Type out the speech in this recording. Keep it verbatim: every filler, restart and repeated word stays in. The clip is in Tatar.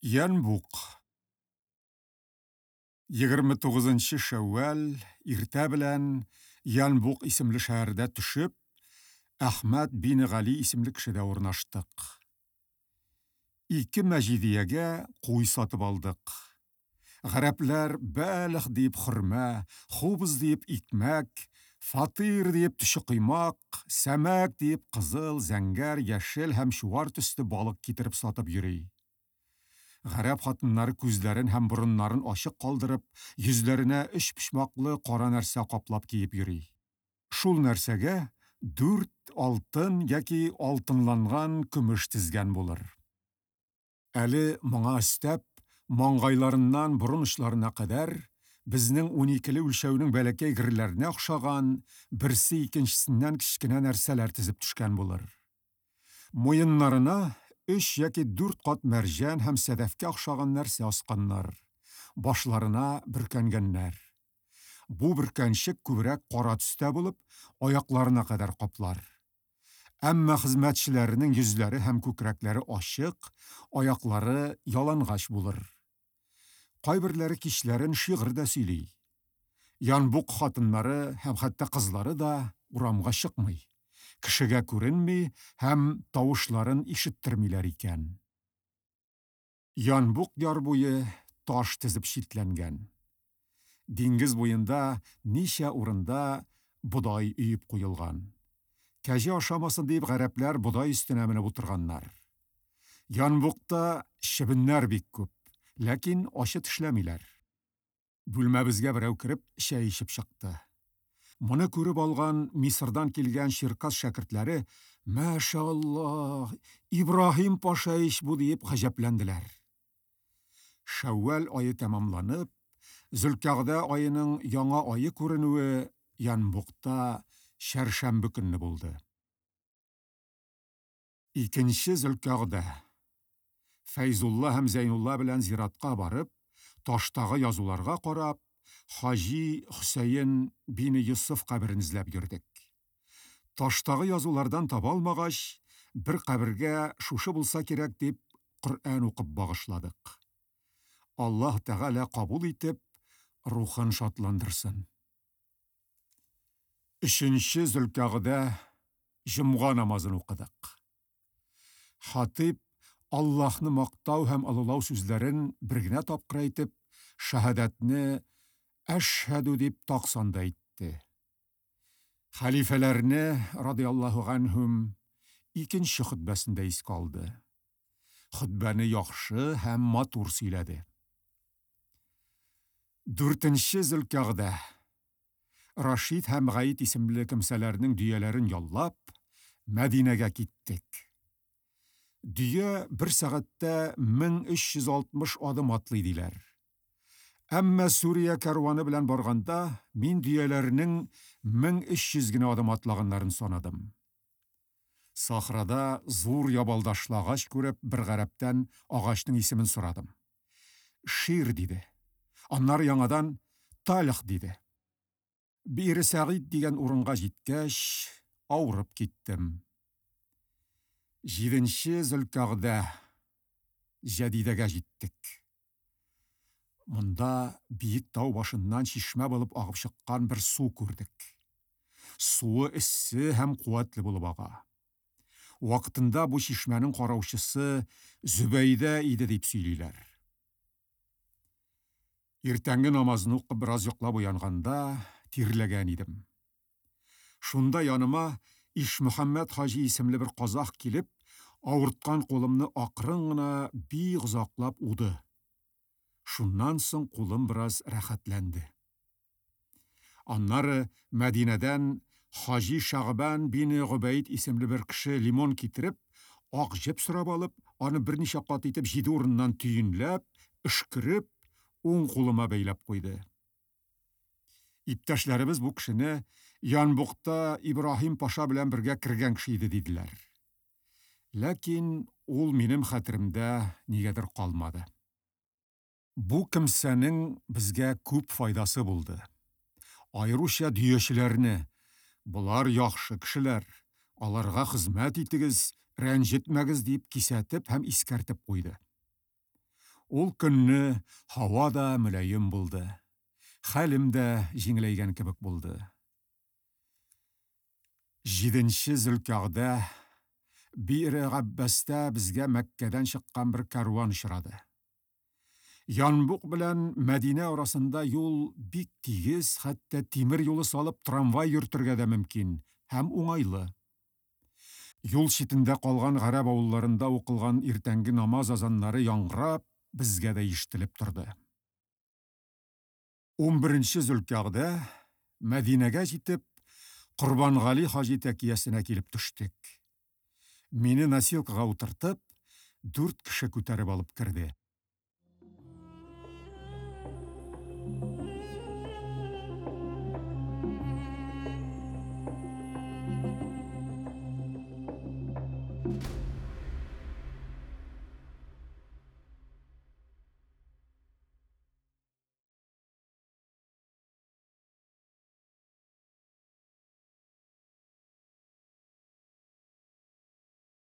Янбук. Егерме тугызынчы Шәүвәл иртә белән Янбук исемле шәһәрдә төшеп, Әхмәт бине Гали исемле кешедә урнаштык. Ике мәҗидиягә куй сатып алдык. Гарәпләр бәлех диеп хөрмә, хубз диеп икмәк, фатир диеп төче коймак, сәмәк диеп кызыл, зәңгәр, яшел һәм чуар төсле балык китереп сатып йөри. Гарәп хатыннары күзләрен һәм борыннарын ачык калдырып, йөзләренә өч почмаклы кара нәрсә каплап киеп йөри. Шул нәрсәгә дүрт алтын яки алтынланган көмеш тезгән булыр. Әле моңа өстәп, маңгайларыннан борын очларына кадәр безнең уникеле үлчәүнең бәләкәй герләренә охшаган берсе икенчесеннән кечкенә нәрсәләр тезеп төшкән булыр. Муеннарына өч яки дүрт кат мәрҗән һәм сәдәфкә охшаган нәрсә асканнар, башларына бөркәнгәннәр. Бу бөркәнчек күбрәк кара төстә булып, аякларына кадәр каплар. Әмма хезмәтчеләренең йөзләре һәм күкрәкләре ачык, аяклары ялангач булыр. Кайберләре кичләрен шигырь дә сөйли. Янбук хатыннары һәм хәтта кызлары да урамга чыкмый, кешегә күренми һәм тавышларын ишеттермиләр икән. Янбук яр буе таш тезеп читләнгән. Диңгез буенда ничә урында бодай өеп куелган. Кәҗә ашамасын дип гарәпләр бодай өстенә менеп утырганнар. Янбукта чебеннәр бик күп, ләкин ачы тешләмиләр. Бүлмәбезгә берәү кереп чәй эчеп чыкты. Моны күреп алган Мисырдан килгән Черкас шәкертләре «Мәшаллаһ, Ибраһим паша ич бу» диеп гаҗәпләнделәр. Шәүвәл ае тәмамланып, Зөлкәгъдә аеның яңа ае күренүе Янбукта чәршәмбе көнне булды. Икенче Зөлкәгъдә. Фәйзулла һәм Зәйнулла белән зиратка барып, таштагы язуларга карап, Хаҗи Хөсәен бине Йосыф каберен эзләп йөрдек. Таштагы язулардан таба алмагач, бер кабергә шушы булса кирәк дип Коръән укып багышладык. Аллаһ Тәгалә кабул итеп, рухын шатландырсын. Өченче Зөлкәгъдә җомга намазын укыдык. Хатип Аллаһны мактау һәм олылау сүзләрен бер генә тапкыр әйтеп, шаһадәтне әшһәдү дип таксанда әйтте. Хәлифәләрне радиаллаһу анһум икенче хөтбәсендә искә алды. Хөтбәне яхшы һәм матур сөйләде. Дүртенче Зөлкәгъдә. Рашид һәм Гаид исемле кемсәләрнең дөяләрен яллап, Мәдинәгә киттек. Дөя бер сәгатьтә мең өч йөз алтмыш адым атлый диләр. Әмма Сүрия кәрваны белән барганда мин дөяләрнең мең өч йөз генә адым атлаганнарын санадым. Сахрада зур ябалдашлы агач күреп, бер гарәптән агачның исемен сорадым. Шир диде. Аннары яңадан Талих диде. Бире Сәгыйд дигән урынга җиткәч, авырып киттем. Җиденче Зөлкәгъдә Җәдидәгә җиттек. Монда биек тау башыннан чишмә булып агып чыккан бер су күрдек. Суы эссе һәм куәтле булып ага. Вакытында бу чишмәнең караучысы Зөбәйдә иде дип сөйлиләр. Иртәнге намазны укып бераз йоклап уянганда тирләгән идем. Шунда яныма Ишмөхәммәт хаҗи исемле бер казах килеп, авырткан кулымны акрын гына бик озаклап уды. Шуннан соң кулым бераз рәхәтләнде. Аннары Мәдинәдән Хаҗи Шагбан бине Гобәйд исемле бер кеше лимон китереп, ак җеп сорап алып, аны берничә кат итеп җиде урыннан төенләп, өшкереп, уң кулыма бәйләп куйды. Иптәшләребез бу кешене Янбукта Ибраһим паша белән бергә кергән кеше иде диделәр. Ләкин ул минем хәтеремдә нигәдер калмады. Бу кемсәнең безгә күп файдасы булды. Аеруча дөячеләрне, болар яхшы кешеләр, аларга хезмәт итегез, рәнҗетмәгез дип кисәтеп һәм искәртеп куйды. Ул көнне һава да мөлаем булды. Хәлем дә җиңеләйгән кебек булды. Җиденче Зөлкәгъдә Бире Габбастә безгә Мәккәдән чыккан бер кәрван очрады. Янбук белән Мәдинә арасында юл бик тигез, хәтта тимер юлы салып трамвай йөртергә дә мөмкин һәм уңайлы. Юл читендә калган гарәп авылларында укылган иртәнге намаз азаннары яңгырап, безгә дә ишетелеп торды. Унберенче Зөлкәгъдә Мәдинәгә җитеп, Корбангали хаҗи тәкиясенә килеп төштек. Мине носилкага утыртып, дүрт кеше күтәреп алып керде.